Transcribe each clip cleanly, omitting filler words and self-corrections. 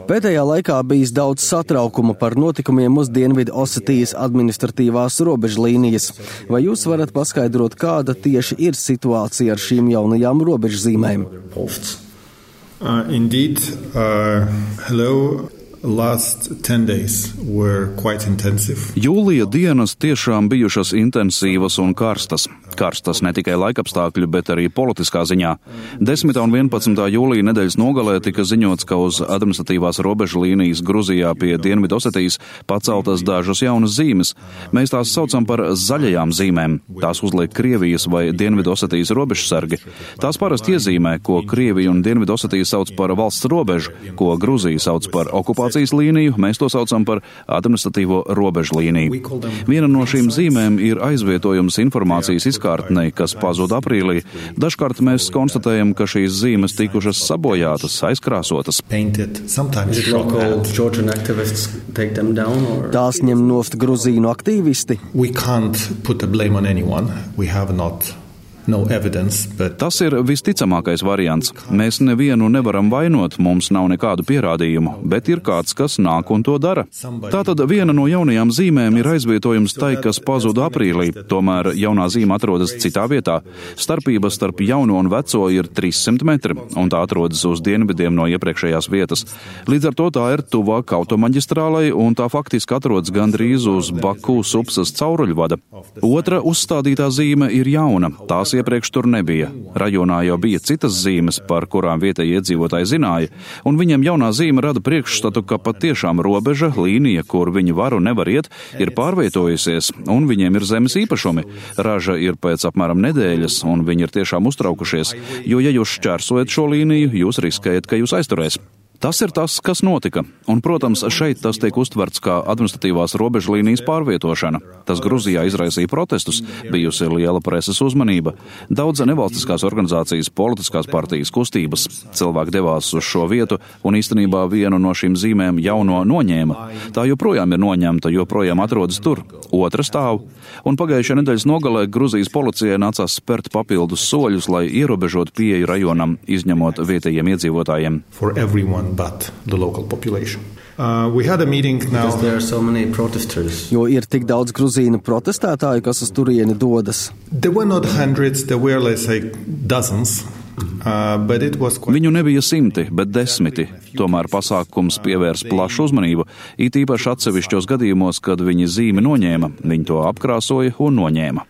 Pēdējā laikā bijis daudz satraukuma par notikumiem uz Dienvidu Osetijas administratīvās robežlīnijas. Vai jūs varat paskaidrot, kāda tieši ir situācija ar šīm jaunajām robežzīmēm? Indeed, hello. Last 10 days were quite intensive. Jūlija dienas tiešām bijušas intensīvas un karstas. Karstas ne tikai laikapstākļu, bet arī politiskā ziņā. 10. un 11. jūlija nedēļas nogalē tika ziņots, ka uz administratīvās robežu līnijas Gruzijā pie Dienvidosetijas paceltas dažas jaunas zīmes. Mēs tās saucam par zaļajām zīmēm. Tās uzliek Krievijas vai Dienvidosetijas robežsargi. Tās parasti iezīmē, ko Krievija un Dienvidosetija sauc par valsts robežu, ko Gruzija sauc par okupācijas līniju, mēs to saucam par administratīvo robežu līniju. Viena no šīm zīmēm ir aizvietojums informācijas izkārtnei, kas pazuda aprīlī. Dažkārt mēs konstatējam, ka šīs zīmes tikušas sabojātas, aizkrāsotas. Tās ņem nost Gruzīnu aktīvisti. Tas ir visticamākais variants. Mēs nevienu nevaram vainot, mums nav nekādu pierādījumu, bet ir kāds, kas nāk un to dara. Tātad viena no jaunajām zīmēm ir aizvietojums tai, kas pazuda aprīlī, tomēr jaunā zīme atrodas citā vietā. Starpība starp jauno un veco ir 300 metri, un tā atrodas uz dienvidiem no iepriekšējās vietas. Līdz ar to tā ir tuvāk automaģistrālai, un tā faktiski atrodas gandrīz uz Baku Supsas cauruļvada. Otra uzstādītā zīme ir jauna. Tās iepriekš tur nebija. Rajonā jau bija citas zīmes, par kurām vietējie iedzīvotāji zināja, un viņiem jaunā zīme rada priekšstatu, ka patiešām robeža, līnija, kur viņi var un nevar iet, ir pārvietojusies, un viņiem ir zemes īpašumi. Raža ir pēc apmēram nedēļas, un viņi ir tiešām uztraukušies, jo ja jūs šķērsojat šo līniju, jūs riskējat, ka jūs aizturēs. Tas ir tas, kas notika, un, protams, šeit tas tiek uztverts kā administratīvās robežlīnijas pārvietošana. Tas Gruzijā izraisīja protestus, bijusi liela preses uzmanība. Daudz nevalstiskās organizācijas, politiskās partijas, kustības. Cilvēki devās uz šo vietu, un īstenībā vienu no šīm zīmēm jauno noņēma. Tā joprojām ir noņemta, joprojām atrodas tur. Otra stāv. Un pagājušajā nedēļas nogalē Gruzijas policijai nācās spērt papildus soļus, lai ierobežotu pieeju rajonam, izņemot vietējiem iedzīvotājiem. But the local population. We had a meeting now. Because there are so many protesters. Jo ir tik daudz gruzīnu protestētāju, kas uz turieni dodas. There were not hundreds, there were, let's say, dozens. Viņu nebija 100, bet 10. Tomēr pasākums pievērs plašu uzmanību, it īpaši atsevišķos gadījumos, kad viņi zīmi noņēma, viņi to apkrāsoja un noņēma.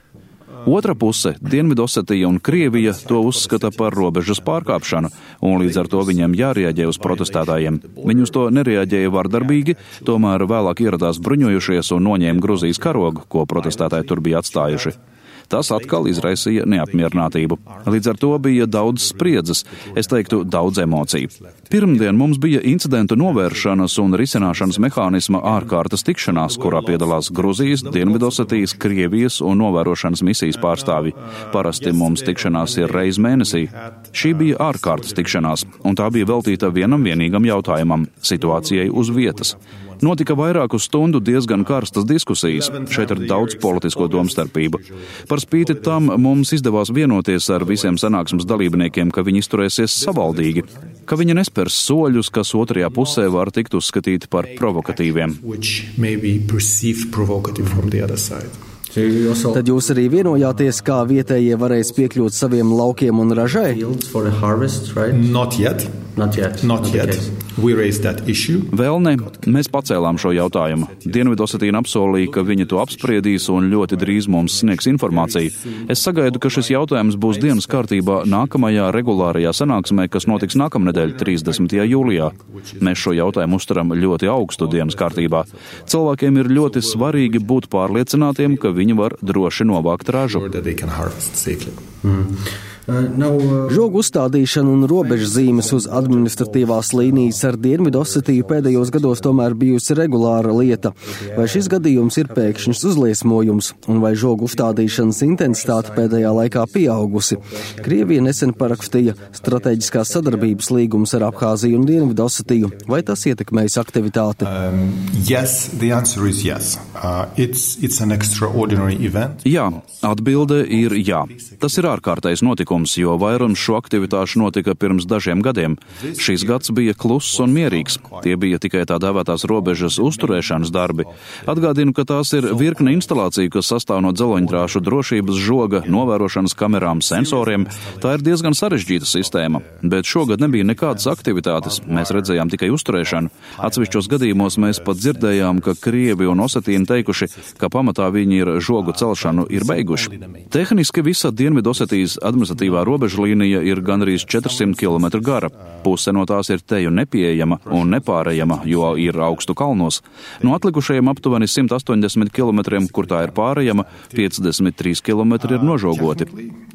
Otra puse, Dienvidosetija un Krievija, to uzskata par robežas pārkāpšanu, un līdz ar to viņiem jārēģē uz protestētājiem. Viņi uz to nereaģēja vardarbīgi, tomēr vēlāk ieradās bruņojušies un noņēma Gruzijas karogu, ko protestētāji tur bija atstājuši. Tas atkal izraisīja neapmierinātību. Līdz ar to bija daudz spriedzes, es teiktu, daudz emociju. Pirmdien mums bija incidentu novēršanas un risināšanas mehānisma ārkārtas tikšanās, kurā piedalās Gruzijas, Dienvidosetijas, Krievijas un novērošanas misijas pārstāvji. Parasti mums tikšanās ir reiz mēnesī. Šī bija ārkārtas tikšanās, un tā bija veltīta vienam vienīgam jautājumam – situācijai uz vietas. Notika vairāku stundu diezgan karstas diskusijas. Šeit ir daudz politisko domstarpību. Par spīti tam mums izdevās vienoties ar visiem sanāksmes dalībniekiem, ka viņi izturēsies savaldīgi, ka viņi nespērs soļus, kas otrajā pusē var tikt uzskatīti par provokatīviem. Tad jūs arī vienojāties, kā vietējie varēs piekļūt saviem laukiem un ražai? Not yet. We raised that issue. Vēl ne. Mēs pacēlām šo jautājumu. Dienvidosetīna apsolīja, ka viņi to apspriedīs un ļoti drīz mums sniegs informāciju. Es sagaidu, ka šis jautājums būs dienas kārtībā nākamajā regulārajā sanāksmē, kas notiks nākamnedēļ 30. jūlijā. Mēs šo jautājumu uztveram ļoti augstu dienas kārtībā. Cilvēkiem ir ļoti svarīgi būt pārliecinātiem, ka viņi var droši novākt ražu. Žogu uzstādīšana un robežzīmes uz administratīvās līnijas ar Dienvidosetiju pēdējos gados tomēr bijusi regulāra lieta. Vai šis gadījums ir pēkšņs uzliesmojums, un vai žogu uzstādīšanas intensitāte pēdējā laikā pieaugusi? Krievija nesen parakstīja strateģiskās sadarbības līgumus ar Abhāziju un Dienvidosetiju. Vai tas ietekmējas aktivitāti? Yes, the answer is yes. It's an extraordinary event. Jā, atbilde ir jā. Tas ir ārkārtais notikums. notikums, jo vairums šo aktivitāšu notika pirms dažiem gadiem. Šis gads bija kluss un mierīgs. Tie bija tikai tā dēvētās robežas uzturēšanas darbi. Atgādinu, ka tās ir virkne instalāciju, kas sastāv no dzeloņdrāšu drošības žoga, novērošanas kamerām, sensoriem. Tā ir diezgan sarežģīta sistēma, bet šogad nebija nekādas aktivitātes. Mēs redzējām tikai uzturēšanu. Atsevišķos gadījumos mēs pat dzirdējām, ka krievi un osetīni teikuši, ka pamatā viņi ir žogu celšanu ir beiguši. Tehniski visa Dienvidosetijas administratīvā robežlīnija ir gandrīz 400 km gara. Puse no tās ir teju nepieejama un nepārejama, jo ir augstu kalnos. No atlikušajiem aptuveni 180 km, kur tā ir pārejama, 53 km ir nožogoti.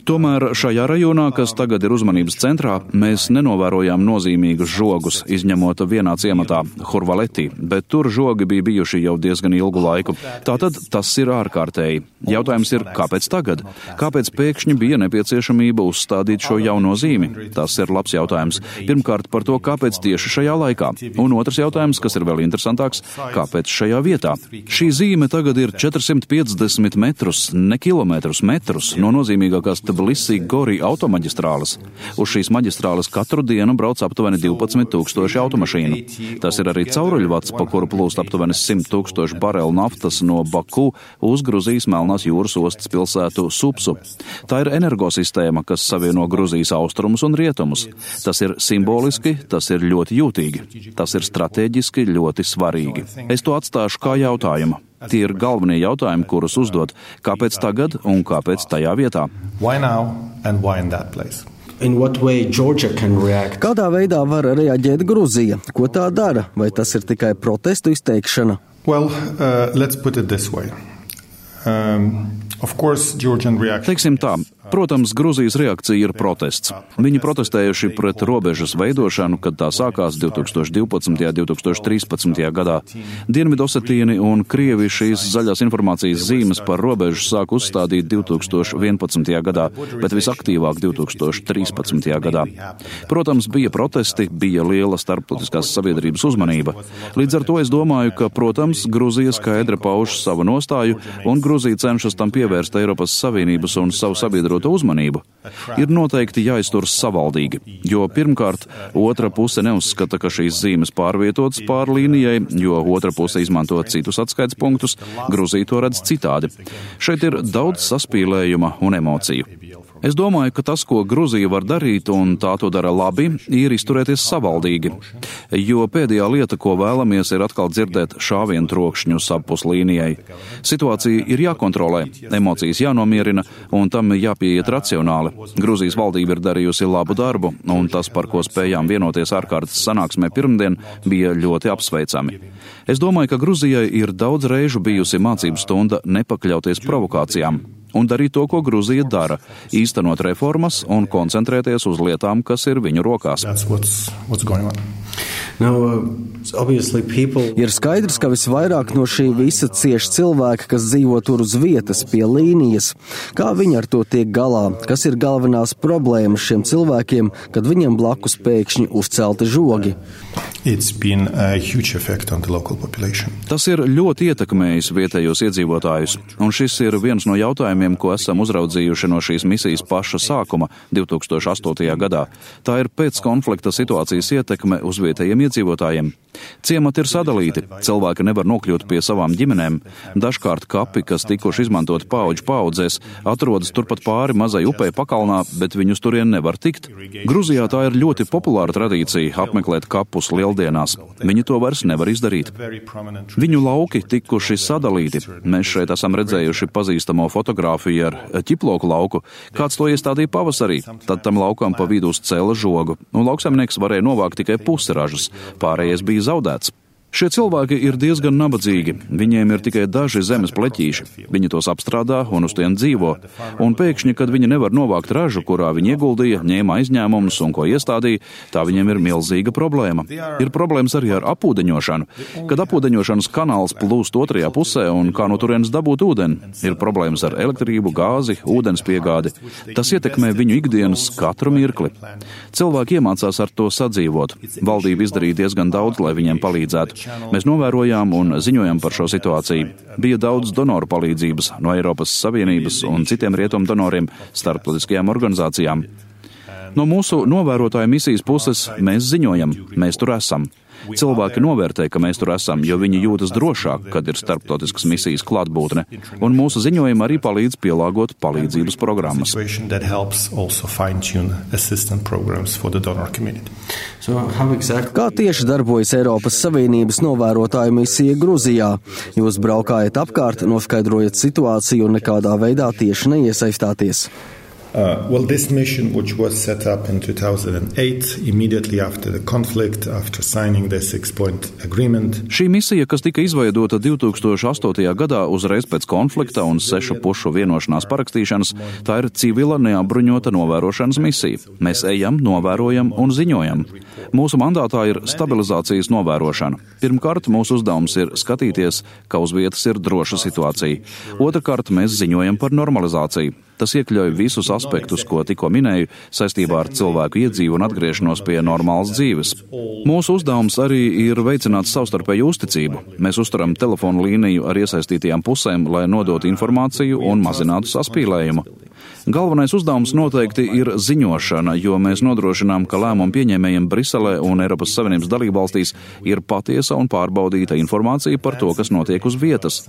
Tomēr šajā rajonā, kas tagad ir uzmanības centrā, mēs nenovērojām nozīmīgus žogus, izņemot vienā ciematā, Hurvaletī, bet tur žogi bija bijuši jau diezgan ilgu laiku. Tātad tas ir ārkārtēji. Jautājums ir, kāpēc tagad? Kāpēc pēkšņi bija nepieciešamība uzstādīt šo jauno zīmi? Tas ir labs jautājums. Pirmkārt par to, kāpēc tieši šajā laikā. Un otrs jautājums, kas ir vēl interesantāks, kāpēc šajā vietā? Šī zīme tagad ir 450 metrus, ne kilometrus, metrus no nozīmīgākās Tbilisi-Gori automaģistrāles. Uz šīs maģistrāles katru dienu brauc aptuveni 12 000 automašīnu. Tas ir arī cauruļvads, pa kuru plūst aptuveni 100 000 barelu naftas no Baku uz Gruzijas Melnās jūras ostas pilsētu Supsu. Tā ir energosistēma, kas savieno Gruzijas austrumus un rietumus. Tas ir simboliski, tas ir ļoti jūtīgi. Tas ir strateģiski ļoti svarīgi. Es to atstāšu kā jautājumu. Tie ir galvenie jautājumi, kurus uzdot. Kāpēc tagad un kāpēc tajā vietā? Why now and why in that place? Kādā veidā var reaģēt Gruzija? Ko tā dara? Vai tas ir tikai protestu izteikšana? Well, let's put it this way. Of course, Georgian reaction. Teiksim tā, protams, Gruzijas reakcija ir protests. Viņi protestējuši pret robežas veidošanu, kad tā sākās 2012. un 2013. gadā. Dienvidosetīni un Krievi šīs zaļās informācijas zīmes par robežu sāk uzstādīt 2011. gadā, bet visaktīvāk 2013. gadā. Protams, bija protesti, bija liela starptautiskās sabiedrības uzmanība. Līdz ar to es domāju, ka, protams, Gruzija skaidri pauž savu nostāju un Gruzija cenšas tam pievērst Eiropas Savienības un savu sabiedroto uzmanību. Ir noteikti jāizturas savaldīgi, jo pirmkārt, otra puse neuzskata, ka šīs zīmes pārvietotas pāri līnijai, jo otra puse izmanto citus atskaites punktus, Gruzija to redz citādi. Šeit ir daudz saspīlējuma un emociju. Es domāju, ka tas, ko Gruzija var darīt, un tā to dara labi, ir izturēties savaldīgi, jo pēdējā lieta, ko vēlamies, ir atkal dzirdēt šāvienu trokšņus apus līnijai. Situācija ir jākontrolē, emocijas jānomierina, un tam jāpieiet racionāli. Gruzijas valdība ir darījusi labu darbu, un tas, par ko spējām vienoties ārkārtas sanāksmē pirmdien, bija ļoti apsveicami. Es domāju, ka Gruzijai ir daudz reižu bijusi mācību stunda nepakļauties provokācijām un darīt to, ko Gruzija dara, īstenot reformas un koncentrēties uz lietām, kas ir viņu rokās. Ir skaidrs, ka visvairāk no šī visa cieš cilvēki, kas dzīvo tur uz vietas pie līnijas. Kā viņi ar to tiek galā? Kas ir galvenās problēmas šiem cilvēkiem, kad viņiem blakus pēkšņi uzcelti žogi? Tas ir ļoti ietekmējis vietējos iedzīvotājus, un šis ir viens no jautājumiem, ko esam uzraudzījuši no šīs misijas paša sākuma 2008. gadā. Tā ir pēckonflikta situācijas ietekme uz vietējiem iedzīvotājiem. Ciemati ir sadalīti, cilvēki nevar nokļūt pie savām ģimenēm. Dažkārt kapi, kas tikuši izmantot paudžu paudzēs, atrodas turpat pāri mazai upei pakalnā, bet viņus turien nevar tikt. Gruzijā tā ir ļoti populāra tradīcija apmeklēt kapus lieldienās. Viņi to vairs nevar izdarīt. Viņu lauki tikuši sadalīti. Mēs šeit esam redzējuši pazīstamo fotogrāfiju ar ķiploku lauku. Kāds to iestādīja pavasarī, tad tam laukam pa vidu uzcēla žogu, un lauksaimnieks varēja novākt tikai pusi ražas, pārējais bija zaudēts. Šie cilvēki ir diezgan nabadzīgi, viņiem ir tikai daži zemes pleķīši, viņi tos apstrādā un uz tiem dzīvo, un pēkšņi, kad viņi nevar novākt ražu, kurā viņi ieguldīja, ņēma aizņēmumus un ko iestādīja, tā viņiem ir milzīga problēma. Ir problēmas arī ar apūdeņošanu, kad apūdeņošanas kanāls plūst otrajā pusē un kā no turienes dabūt ūdeni, ir problēmas ar elektrību, gāzi, ūdens piegādi. Tas ietekmē viņu ikdienas katru mirkli. Cilvēki iemācās ar to sadzīvot. Valdība izdarīja diezgan daudz, lai viņiem palīdzētu. Mēs novērojām un ziņojam par šo situāciju. Bija daudz donoru palīdzības no Eiropas Savienības un citiem rietumu donoriem, starptautiskajām organizācijām. No mūsu novērotāju misijas puses mēs ziņojam, mēs tur esam. Cilvēki novērtē, ka mēs tur esam, jo viņi jūtas drošāk, kad ir starptautiskas misijas klātbūtne, un mūsu ziņojumi arī palīdz pielāgot palīdzības programmas. Kā tieši darbojas Eiropas Savienības novērotāju misija Gruzijā? Jūs braukājat apkārt, noskaidrojat situāciju un nekādā veidā tieši neiesaistāties. This mission, which was set up in 2008, immediately after the conflict, after signing the 6-point agreement. Šī misija, kas tika izveidota 2008. gadā uzreiz pēc konflikta un 6 pušu vienošanās parakstīšanas, tā ir civila neapbruņota novērošanas misija. Mēs ejam, novērojam un ziņojam. Mūsu mandātā ir stabilizācijas novērošana. Pirmkārt, mūsu uzdevums ir skatīties, ka uz vietas ir droša situācija. Otrakārt, mēs ziņojam par normalizāciju. Tas iekļauj visus aspektus, ko tikko minēju, saistībā ar cilvēku iedzīvu un atgriešanos pie normālas dzīves. Mūsu uzdevums arī ir veicināt savstarpēju uzticību. Mēs uzturam telefonu līniju ar iesaistītajām pusēm, lai nodotu informāciju un mazinātu saspīlējumu. Galvenais uzdevums noteikti ir ziņošana, jo mēs nodrošinām, ka lēmumu pieņēmējiem Briselē un Eiropas Savienības dalībvalstīs ir patiesa un pārbaudīta informācija par to, kas notiek uz vietas.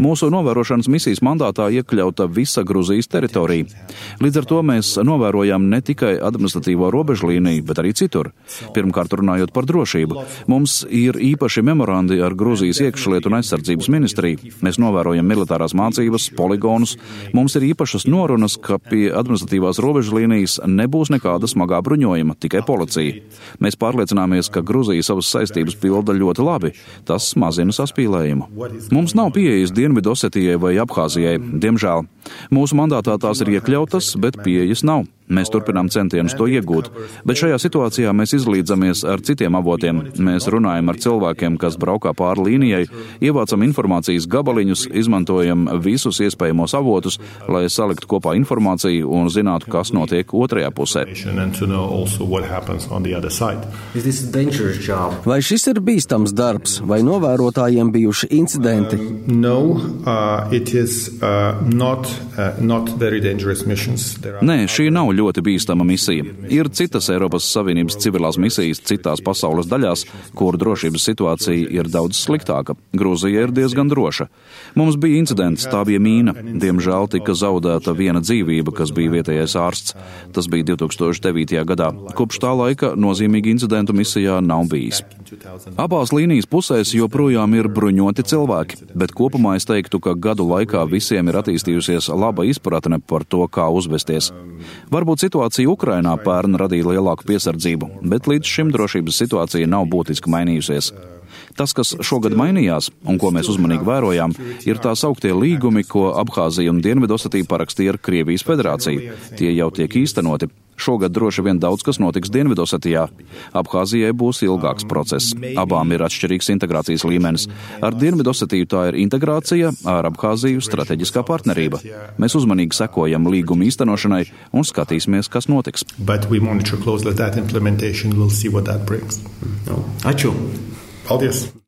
Mūsu novērošanas misijas mandātā iekļauta visa Gruzijas teritorija. Līdz ar to mēs novērojam ne tikai administratīvo robežu līniju, bet arī citur. Pirmkārt, runājot par drošību. Mums ir īpaši memorandi ar Gruzijas iekšlietu un aizsardzības ministriju. Mēs novērojam militārās mācības, poligonus. Mums ir īpašas norunas, ka pie administratīvās robežu līnijas nebūs nekāda smagā bruņojuma, tikai policija. Mēs pārliecināmies, ka Gruzija savas saistības pilda ļoti labi. Tas mazina saspīlējumu. Mums nav pieejas Dienvidosetijai vai Abhāzijai, diemžēl. Mūsu mandātā tās ir iekļautas, bet pieejas nav. Mēs turpinām centienus to iegūt, bet šajā situācijā mēs izlīdzamies ar citiem avotiem. Mēs runājam ar cilvēkiem, kas braukā pāri līnijai, ievācam informācijas gabaliņus, izmantojam visus iespējamos avotus, lai saliktu kopā informāciju un zinātu, kas notiek otrajā pusē. Vai šis ir bīstams darbs, vai novērotājiem bijuši incidenti? Nē, šī nav ļoti bīstama misija. Ir citas Eiropas Savienības civilās misijas citās pasaules daļās, kur drošības situācija ir daudz sliktāka. Grūzija ir diezgan droša. Mums bija incidents, tā bija mīna. Diemžēl tika zaudēta viena dzīvība, kas bija vietējais ārsts. Tas bija 2009. gadā. Kopš tā laika nozīmīgi incidentu misijā nav bijis. Abās līnijas pusēs joprojām ir bruņoti cilvēki, bet kopumā es teiktu, ka gadu laikā visiem ir attīstījusies laba izpratne par to, kā uzvesties. Varbūt situācija Ukrainā pērn radīja lielāku piesardzību, bet līdz šim drošības situācija nav būtiski mainījusies. Tas, kas šogad mainījās, un ko mēs uzmanīgi vērojām, ir tā sauktie līgumi, ko Abhāzija un Dienvidosetija parakstīja ar Krievijas federāciju. Tie jau tiek īstenoti. Šogad droši vien daudz kas notiks Dienvidosetijā. Abhāzijai būs ilgāks process. Abām ir atšķirīgs integrācijas līmenis. Ar Dienvidosetiju tā ir integrācija, ar Abhāziju strateģiskā partnerība. Mēs uzmanīgi sekojam līgumu īstenošanai un skatīsimies, kas notiks. Ačiū! Paldies!